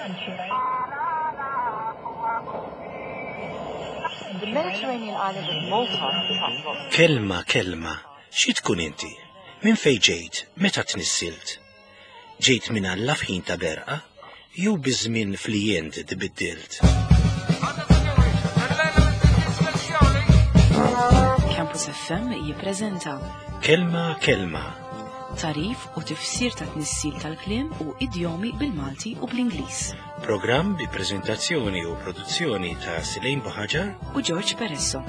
The Mediterranean island of Malta Kelma, kelma, xi tkun inti? Minn fejn ġejt? Meta tnissilt? Ġejt minn Alla f'ħin ta' berqa? Jew biż-żmien fli int tbiddilt? Campus FM jippreżenta Kelma, kelma, tarif u tifsir ta' tnissil tal-kliem u idjomi bil-Malti u bl-Ingliż. programm bi preżentazzjoni u produzzjoni ta' Silejn Buħaġar U George Peresso.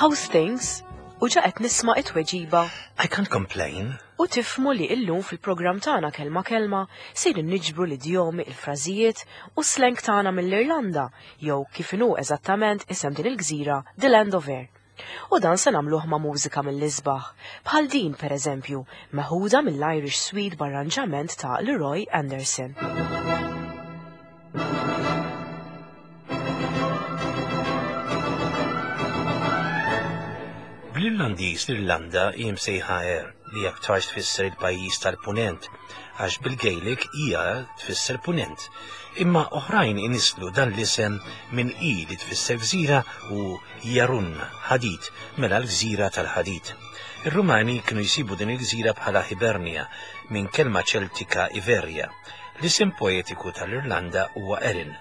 How's things? U ġa qed nisma' it-tweġiba I can't complain. u tifmu li illum fil-programm tagħna kelma kelma sejrin niġbru l-idjomi, il-frażijiet u slang tagħna mill-Irlanda jew kif inhu eżattament isem din il-gżira The Land of Air. U dan se nagħmluh ma' mużika mill-isbaħ, bħal din pereżempju, meħuda mill-Irish Suite b'arranġament ta' Leroy Anderson. Bl-Irlandiż l-Irlanda hi msejħa Air li aktarx tfisser il-pajjiż tal-Punent għax bil-Gaelic hija tfisser Punent. Imma oħrajn inislu dan l-isem minn i li tfisser gżira u Jarun, ħadid, mela l-gżira tal-ħadid. Ir-Rumani kienu jsibu din il-gżira bħala Hibernia minn kelma ċeltika Iveria. L-isem poetiku tal-Irlanda huwa Erin.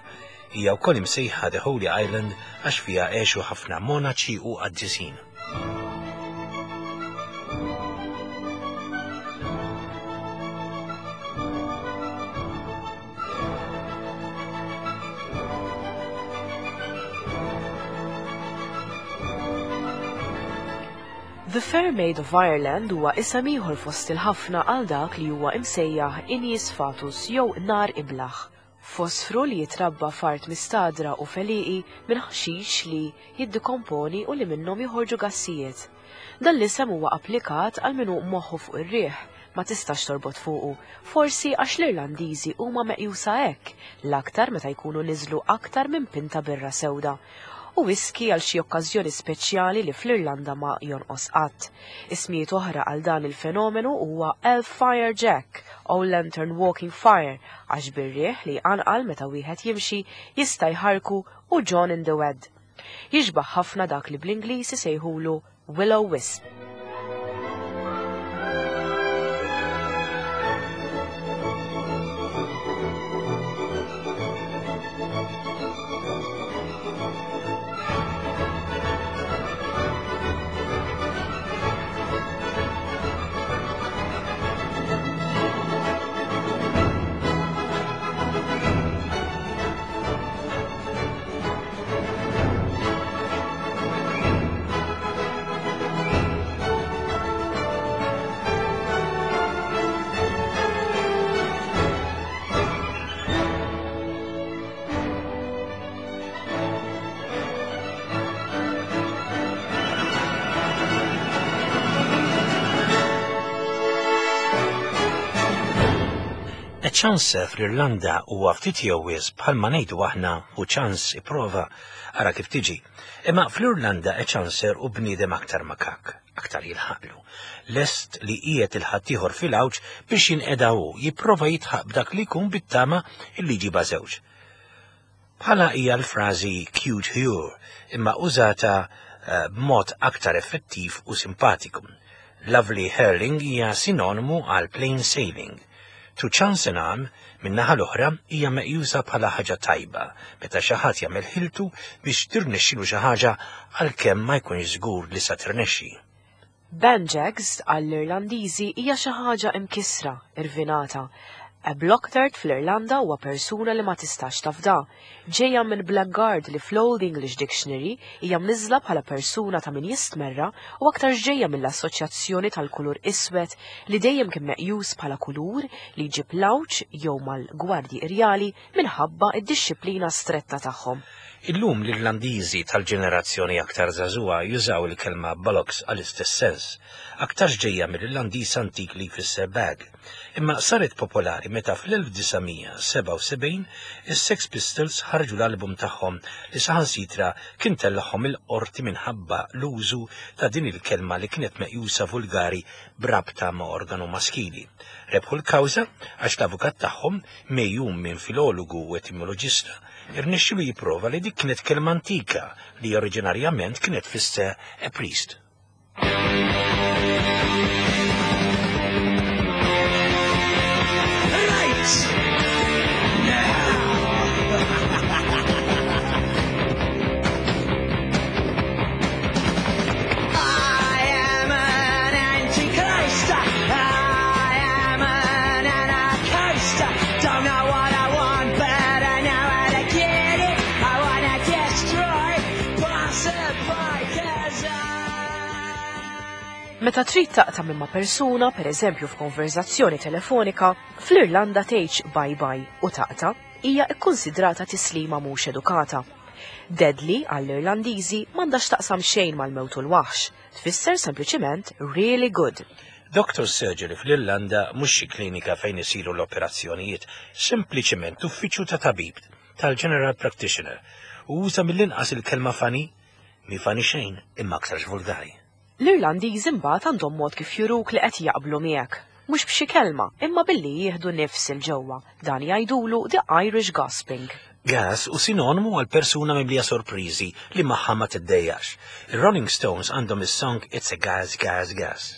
Hija wkoll imsejħa The Holy Island għax fiha għexu ħafna monaċi u qaddisin. The Fair Maid of Ireland huwa isem ieħor fost il-ħafna għal dak li huwa imsejjaħ Ignis Fatus jew nar iblaħ. Fosfru li jitrabba f'art mistadra u feliqi minn ħaxix li jiddikomponi u li minnhom joħorġu gassijiet. Dan l-isem huwa applikat għal min hu moħħu fuq ir-riħ, ma tistax torbot fuqu, forsi għax l-Irlandiżi huma meqjusa hekk, l-aktar meta jkunu niżlu aktar minn pinta birra sewda. U whisky għal xi okkażjoni speċjali li fl-Irlanda ma jonqos qatt. Ismijiet oħra għal dan il-fenomenu huwa Elf Fire Jack o Lantern Walking Fire għax bir-riħ li jqanqal meta wieħed jimxi jista' jħarku u John in the Wed. Jixbaħ ħafna dak li bl-Ingliż isejħulu Willow Wisp. A chance fl-Irlanda huwa ftit jew wisq bħalma ngħidu aħna u ċans ipprova ara kif tiġi. Imma fl-Irlanda a chancer u bniedem aktar makak, aktar jilħaqlu. Lest li qiegħed il-ħaddieħor fil-għawġ biex jinqeda hu, jipprova jitħaq b'dak li jkun bit-tama illi jġibha żewġ. Bħala hija l-frażi cute hure, imma użata eh, b'mod aktar effettiv u simpatiku. Lovely hurling hija sinonimu għal plain sailing. To chance an arm, min-naħa l-oħra, hija meqjusa bħala ħaġa tajba meta xi ħadd jagħmel ħiltu biex tirnexxilu xi ħaġa għalkemm ma jkunx żgur li sa tirnexxi. Banjags għall-Irlandiżi hija xi ħaġa imkissra, irvinata. A blocktard fl-Irlanda huwa persuna li ma tistax tafda. Ġejja minn Blackguard li fl-Old English Dictionary hija mniżla bħala persuna ta' min jistmerra u aktar ġejja mill-assoċjazzjoni tal-kulur iswed li dejjem kien meqjus bħala kulur li jġib lawċ jew mal-gwardji irjali minħabba id-dixxiplina stretta tagħhom. Illum l-Irlandiżi tal-ġenerazzjoni aktar żagħżugħa jużaw il-kelma bollocks għall-istess sens, aktarx ġejja mill-Irlandiż antik li jfisser bag. Imma saret popolari minħabba. meta fl-1977 is-Sex Pistols ħarġu l-album tagħhom li saħansitra kien tellagħhom il-qorti minħabba l-użu ta' din il-kelma li kienet meqjusa vulgari b'rabta ma' organu maskili. Rebħu l-kawża għax l-avukat tagħhom, megħjun minn filologu u etimoloġista, irnexxielu jipprova li dik kienet kelma antika li oriġinarjament kienet tfisser a priest. Meta trid taqta' minn ma' persuna, pereżempju f'konverżazzjoni telefonika, fl-Irlanda tgħidx bye bye u taqta' hija kkunsidrata tislima mhux edukata. Deadly għall-Irlandiżi m'għandha x'taqsam xejn mal-mewt u l-waħx, tfisser sempliċiment really good. Doctor's surgery fl-Irlanda mhux xi klinika fejn isiru l-operazzjonijiet, sempliċiment uffiċċju ta' tabib, tal-general practitioner, u uża mill-inqas il-kelma funny, mhi funny xejn imma aktarx vulgari. L-Irlandiżi mbagħad għandhom mod kif juruk li qed jaqblu miegħek. Mhux b'xi kelma, imma billi jieħdu nifs 'il ġewwa. Dan jgħidulu the Irish gasping. Gas hu sinonimu għal persuna mimlija sorpriżi li magħha ma tiddejjaqx. Ir-Rolling Stones għandhom is-song It's a Gas, Gas, Gas.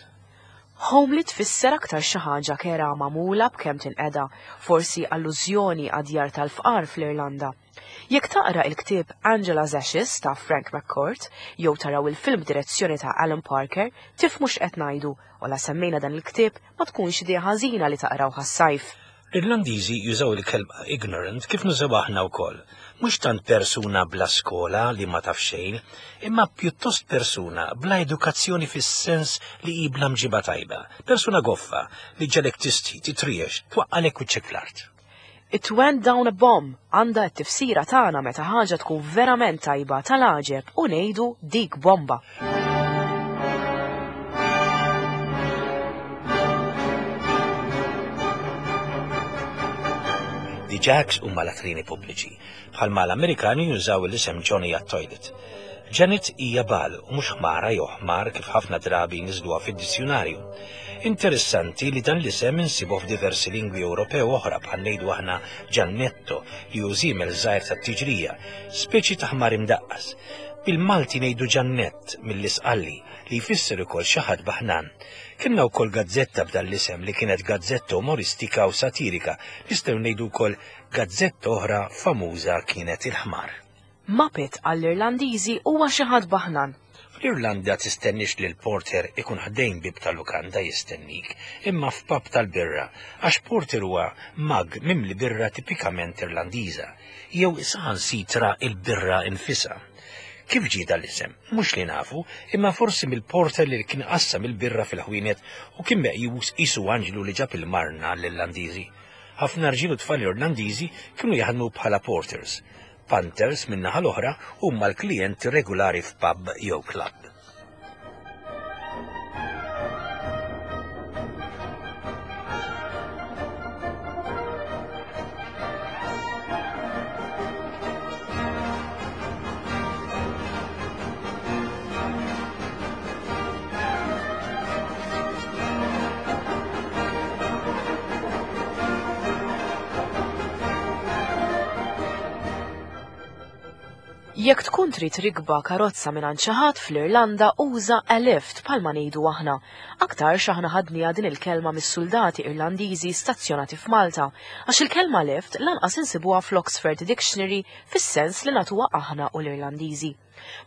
Homely tfisser aktar xi ħaġa kerha magħmula b'kemm tinqeda, forsi allużjoni għad-djar tal-fqar fl-Irlanda. Jekk taqra il-ktieb Angela's Ashes ta' Frank McCourt jew taraw il-film b'direzzjoni ta' Alan Parker, tifhmu x'qed ngħidu u la semmejna dan il-ktieb ma tkunx idea ħażina li taqrawh għas-sajf. L-Irlandiżi jużaw il-kelma ignorant kif nużawha aħna wkoll. Mhux tant persuna bla skola li ma taf xejn, imma pjuttost persuna bla edukazzjoni fis-sens li hi bla mġiba tajba, persuna goffa li ġġegħlek tistħi, titriex, twaqqalek wiċċek fl-art. It went down a bomb għandha t-tifsira tagħna meta ħaġa tkun verament tajba tal-għaġeb u ngħidu dik bomba. The Jacks huma latrini pubbliċi, bħalma l-Amerikani jużaw l-isem Johnny għat-toilet. Janet hija bagħal u mhux ħmara jew ħmar kif ħafna drabi jniżżluha fid-dizzjunarju. Interessanti li dan l-isem insibuh f'diversi lingwi Ewropew oħra bħal ngħidu aħna Giannetto li hu żiemel żgħir tat-tiġrija, speċi ta' ħmar imdaqqas. Bil-Malti ngħidu Ġannett mill-Isqalli li jfisser ukoll xi ħadd baħnan. Kellna wkoll gazzetta b'dan l-isem li kienet gazzetta umoristika u satirika, nistgħu ngħidu wkoll gazzetta oħra famuża kienet Il-Ħmar. Muppet għall-Irlandiżi huwa xi ħadd baħnan. Fl-Irlanda tistenniex li l-porter ikun ħdejn bieb ta' lukanda jistennik, imma f'pub tal-birra, għax porter huwa mug mimli birra tipikament Irlandiża, jew saħansitra il-birra nfisha. Kif ġie dan l-isem? Mhux li nafu, imma forsi mill-porter li kien qassam il-birra fil-ħwienet u kien meqjus qisu anġlu li ġab il-marna għall-Irlandiżi. Ħafna rġiel u tfal Irlandiżi kienu jaħdmu bħala porters. Punters, min-naħa l-oħra, huma l-klijenti regulari f'pub jew club. Jekk tkun trid rikba karozza mingħand xi ħadd fl-Irlanda uża a lift bħalma ngħidu aħna. Aktarx aħna ħadniha din il-kelma mis-suldati Irlandiżi stazzjonati f'Malta, għax il-kelma lift lanqas insibuha fl-Oxford Dictionary fis-sens li nagħtuha aħna u l-Irlandiżi.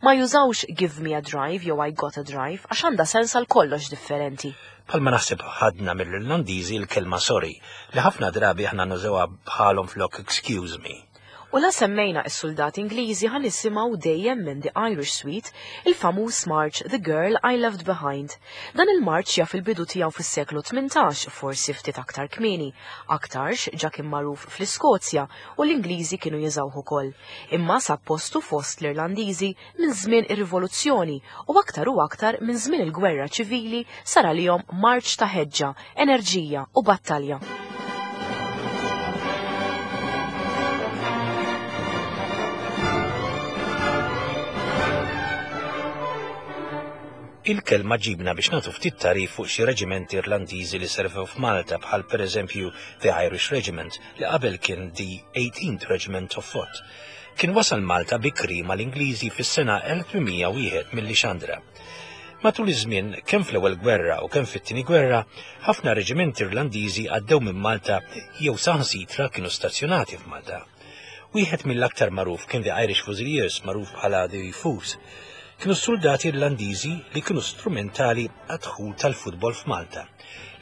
Ma jużawx give me a drive jew I got a drive għax għandha sens għal kollox differenti. Bħalma naħseb ħadna mill-Irlandiżi l-kelma sorry, li ħafna drabi aħna nużawha bħalhom flok excuse me. U la semmejna s-suldati Ingliżi ħa nisimgħu dejjem minn The Irish Suite il-famuż march The Girl I Left Behind. Dan il-marċ jaf il-bidu tiegħu fis-seklu 18, forsi ftit aktar kmieni. Aktarx ġa kien magħruf fl-Iskozja u l-Ingliżi kienu jużawh ukoll. Imma sab postu fost l-Irlandiżi minn żmien ir-Rivoluzzjoni u aktar u aktar minn żmien il-Gwerra Ċivili sar għalihom marċ ta' ħeġġa, enerġija u battalja. Il-kelma ġibna biex nagħtu ftit tagħrif fuq xi reġimenti Irlandiżi li servew f'Malta bħal pereżempju The Irish Regiment li qabel kien The 18th Regiment of Foot. Kien wasal Malta bikri mal-Ingliżi fis-sena 1801 mill-Lixandra. Matul iż-żmien, kemm fl-Ewwel Gwerra u kemm fit-Tieni Gwerra, ħafna reġimenti Irlandiżi għaddew minn Malta jew saħansitra kienu stazzjonati f'Malta. Wieħed mill-aktar magħruf kien The Irish Fusiliers, magħruf bħala The Fus. Kienu soldati Irlandiżi li kienu strumentali għad-dħul tal-futbol f'Malta.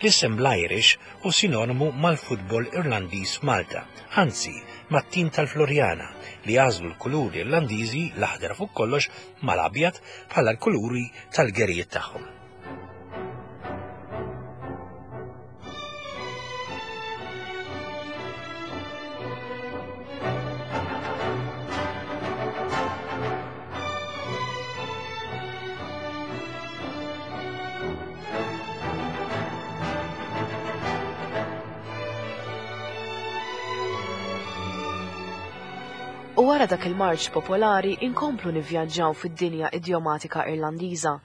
L-isem l-Irish hu sinonimu mal-futbol Irlandiż f'Malta, anzi mat-tim tal-Floriana li għażlu l-kuluri Irlandiżi l-aħdar fuq kollox mal-abjad bħala l-kuluri tal-gerijiet tagħhom. U wara dak il-marċ popolari inkomplu nivvjaġġaw fid-dinja idjomatika Irlandiża.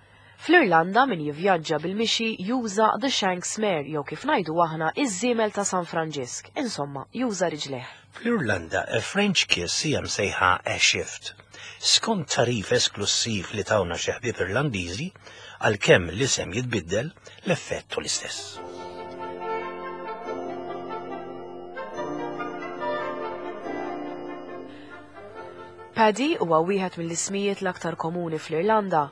Fl-Irlanda min jivvjaġġa bil-mixi juża the Shanks Mare jew kif ngħidu aħna iż-żiemel ta' San Franġisk, insomma, juża riġlejh. Fl-Irlanda, a French kiss hija msejħa a shift. Skont tagħrif esklussiv li tawna xi ħbieb Irlandiżi, għalkemm l-isem jitbiddel, l-effett hu l-istess. Paddy huwa wieħed mill-ismijiet l-aktar komuni fl-Irlanda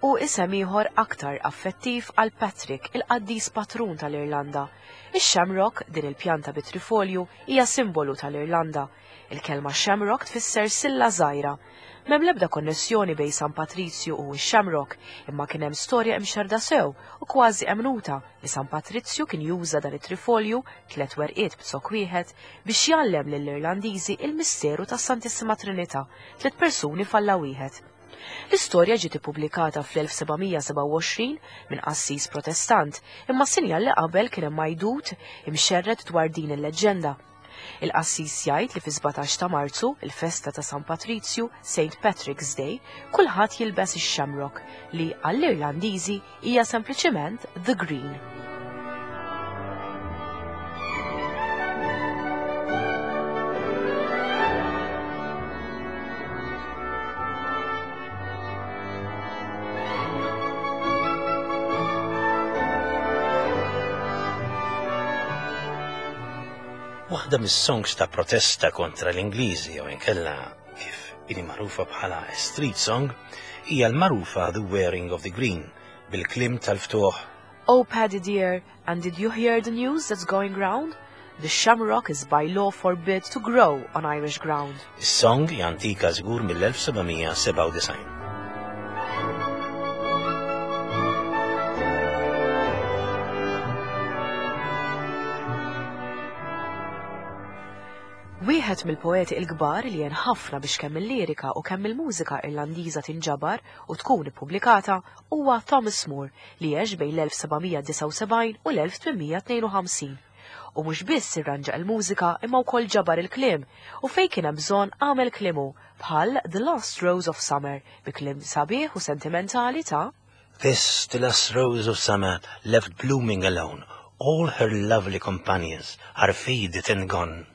u isem ieħor aktar affettiv għal Patrick, il-qaddis patrun tal-Irlanda. Ix-shamrock, din il-pjanta bi trifolju, hija simbolu tal-Irlanda. Il-kelma shamrock tfisser silla żgħira. M'hemm l-ebda konnessjoni bejn San Patrizju u x-shamrock, imma kien hemm storja imxerrda sew u kważi emmnuta li San Patrizju kien juża dan it-trifolju, tliet werqiet b'zokk wieħed, biex jgħallem lill-Irlandiżi il-misteru tas-Santissima Trinità, tliet persuni f'Alla wieħed. L-istorja ġiet ippubblikata fl-1727 minn qassis Protestant, imma sinjal li qabel kien hemm għajdut imxerred dwar din il-leġġenda. Il-qassis jgħid li fis-17 ta' Marzu, il-festa ta' San Patrizju, Saint Patrick's Day, kulħadd jilbes ix-shamrock li għall-Irlandiżi hija sempliċiment The Green. Waħda mis-songs ta' protesta kontra l-Ingliżi jew inkella kif ili magħrufa bħala street song hija l-magħrufa The Wearing of the Green bil-kliem tal-ftuħ Oh Paddy dear, and did you hear the news that's going round? The shamrock is by law forbid to grow on Irish ground. Is-song hija antika żgur mill-1797. Wieħed mill-poeti l-kbar li għen ħafna biex kemm il-lirika u kemm il-mużika Irlandiża tinġabar u tkun ippubblikata huwa Thomas Moore li għex bejn l-1779 u l-1852. U mhux biss irranġa l-mużika imma wkoll ġabar il-kliem u fejn kien hemm bżonn għamel kliem hu bħal The Last Rose of Summer bi kliem sabiħ u sentimentali ta' This, the last rose of summer, left blooming alone, all her lovely companions are faded and gone.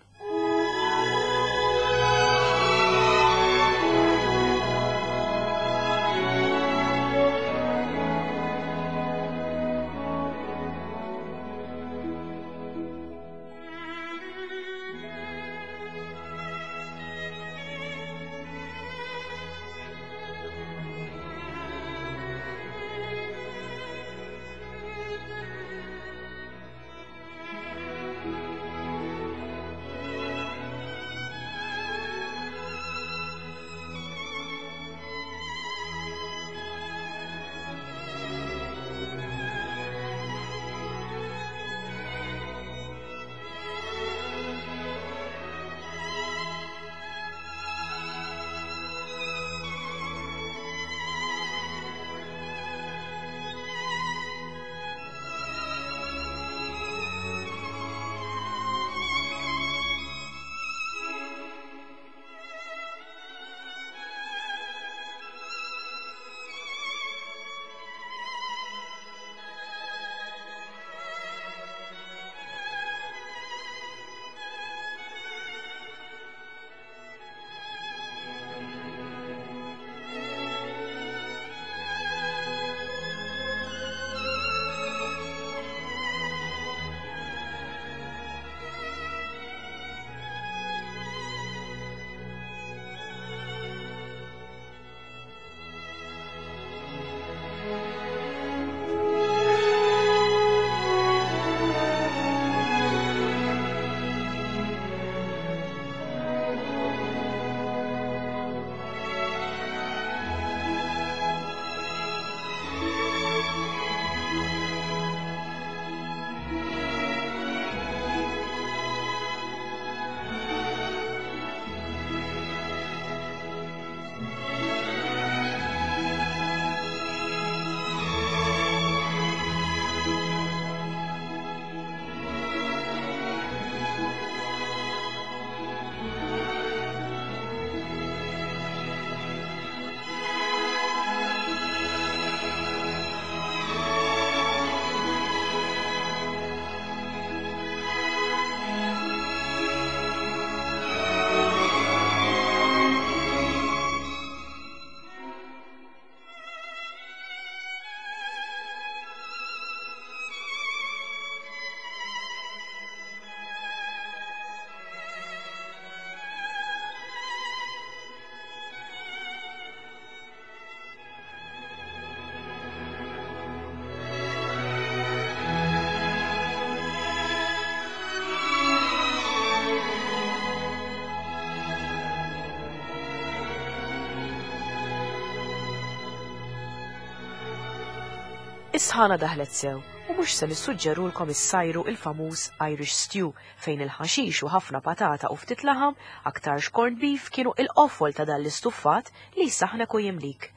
Is-sħana daħlet sew u mhux se nissuġġerulkom issajru il-famuż Irish stew fejn il-ħaxix u ħafna patata u ftit laħam, aktarx corned beef kienu il-qofol ta' dan l-istuffat li jsaħħnek u jimlik.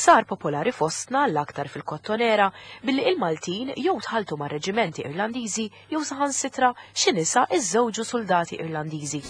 Sar popolari fostna l-aktar fil-Kottonera billi il-Maltin jew tħalltu ma' reġimenti Irlandiżi jew saħansitra xi nisa iżżewġu suldati Irlandiżi.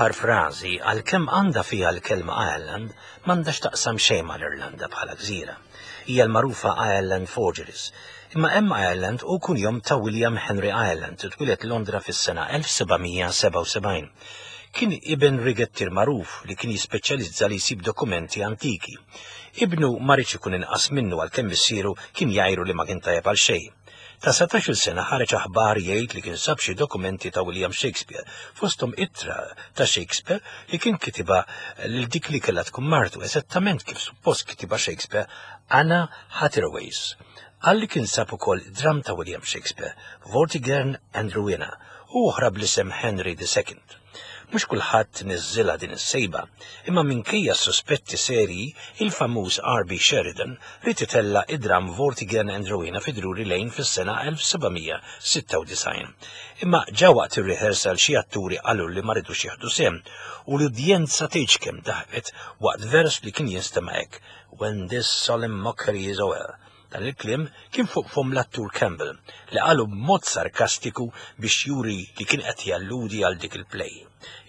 L-aħħar frażi għalkemm għandha fiha l-kelma Ireland m'għandha x'taqsam xejn mal-Irlanda bħala gżira. Hija l-magħrufa Ireland Forgeries. Imma hemm Ireland hu kunjom ta' William Henry Ireland, twieled Londra fis-sena 1777. Kien iben rigettier magħruf li kien jispeċjalizza li jsib dokumenti antiki. Ibnu ma riedx ikun inqas minnu għalkemm missieru kien jgħajru li ma kien tajjeb għal xejn. Ta' 17-il sena ħareġ aħbar jgħid li kien sab xi dokumenti ta' William Shakespeare, fosthom ittra ta' Shakespeare li kien kitibha lil dik li kellha tkun martu, eżattament kif suppost kitibha Shakespeare, Anna Hatterways. Qal li kien sab ukoll dramm ta' William Shakespeare, Vortigern and Rowena, u oħra bl-isem Henry II. Mhux kulħadd niżżilha din is-sejba, imma minkejja s-suspetti serji, il-famuż R.B. Sheridan ried itella' id-dramm Vortigern and Rowena fi Drury Lane fis-sena 1796. Imma ġa waqt ir-rehearsal xi atturi qalu li ma ridux jieħdu sehem u l-udjenza tgħidx kemm daħqet waqt vers li kien jinstema' hekk, When this solemn mockery is o'er. Dan il-kliem kien fuq fomm l-attur Campbell, li qalu b'mod sarkastiku biex juri li kien qed jalludi għal dik il-play.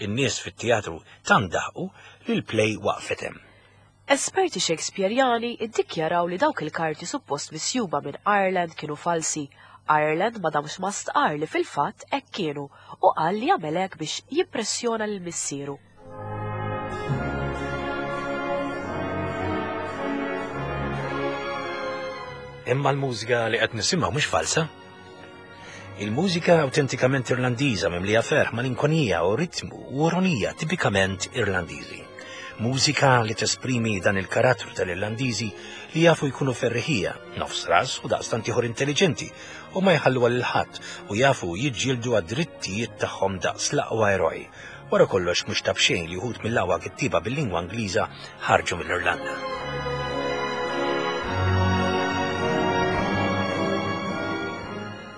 In-nies fit-teatru tant daħqu li l-play waqfet hemm. Esperti Shakespearjani ddikjaraw li dawk il-karti suppost misjuba minn Ireland kienu falsi. Ireland ma damx ma stqarr li fil-fatt hekk kienu u qal li għamel hekk biex jimpressjona lil missieru. Imma l-mużika li qed nisimgħu mhux falsa. Il-mużika awtentikament Irlandiża mimlija ferħ, malinkonija u ritmu u ironija tipikament Irlandiżi. Mużika li tesprimi dan il-karattru tal-Irlandiżi li jafu jkunu ferriħija, nofs ras u daqstant ieħor intelliġenti u ma jħallu għal ħadd u jafu jiġġieldu għad-drittijiet tagħhom daqs l-aqwa eroj. Wara kollox mhux ta' b'xejn li wħud mill-aqwa kittieba bil-lingwa Ingliża ħarġu mill-Irlanda.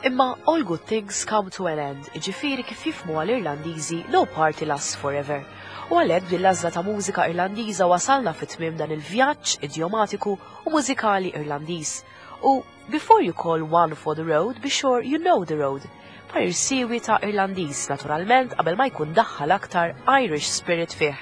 Imma all good things come to an end, jiġifieri kif jifhmuha l-Irlandiżi no party lasts forever. U għalhekk b'din l-għażla ta' mużika Irlandiża wasalna fi tmiem dan il-vjaġġ idjomatiku u mużikali Irlandiż. U before you call one for the road, be sure you know the road. Parir siewi ta' Irlandiż, naturalment qabel ma jkun daħħal aktar Irish spirit fih.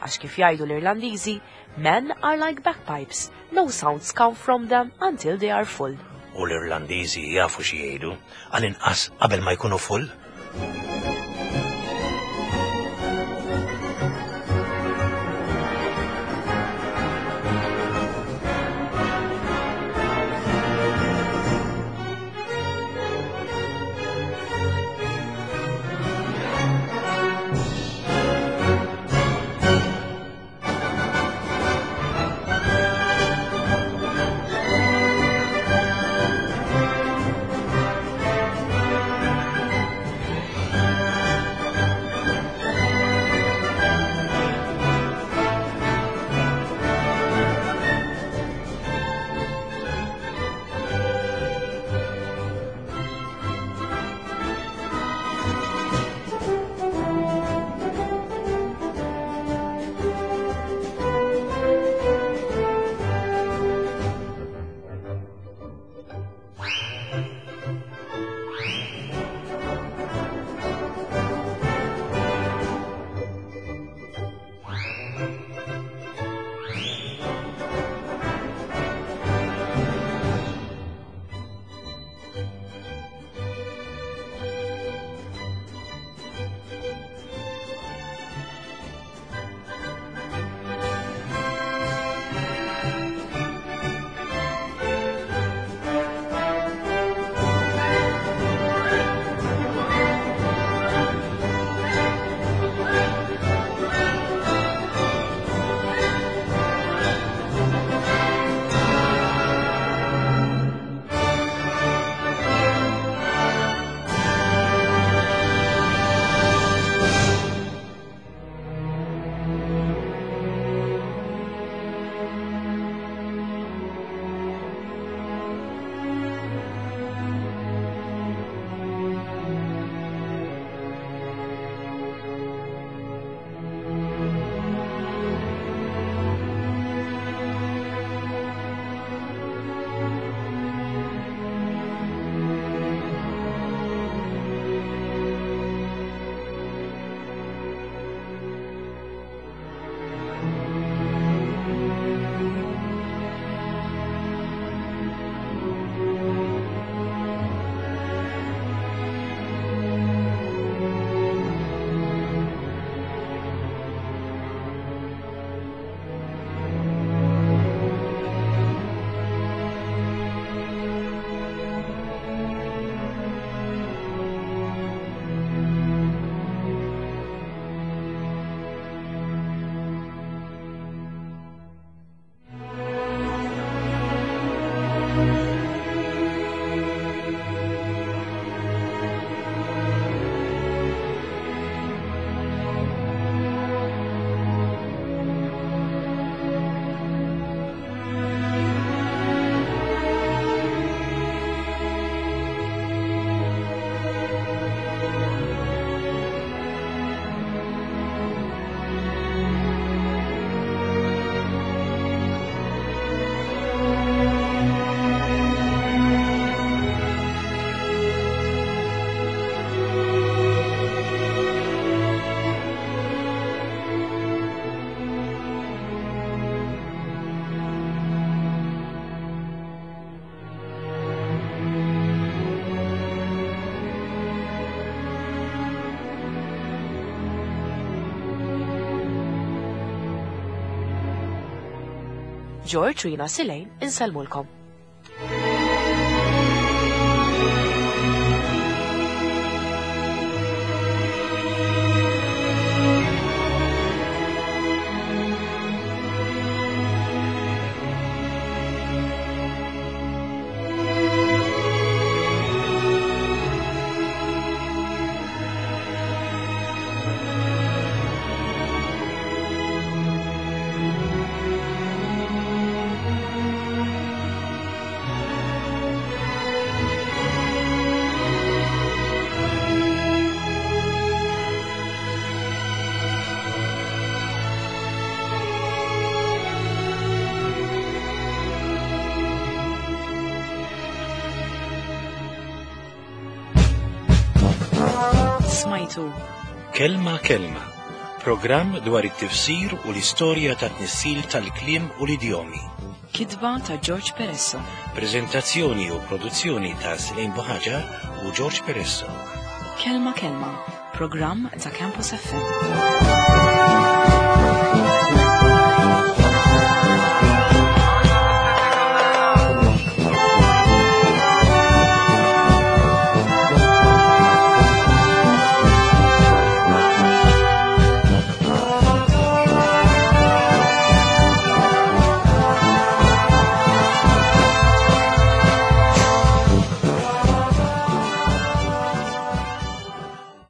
Għax kif jgħidu l-Irlandiżi, men are like bagpipes, No sounds come from them until they are full. U l-Irlandiżi jafu xi jgħidu, għall-inqas qabel ma jkunu full. George u jina Silejn insellmulkom. Smajtu. Kelma Kelma, programm dwar it-tifsir u l-istorja ta' tnissil tal-kliem u l-idjomi. Kitba ta' George Peresso. Prezentazzjoni u produzzjoni ta' Selin Buħaġar u George Peresso. Kelma Kelma, programm ta' Campus FM.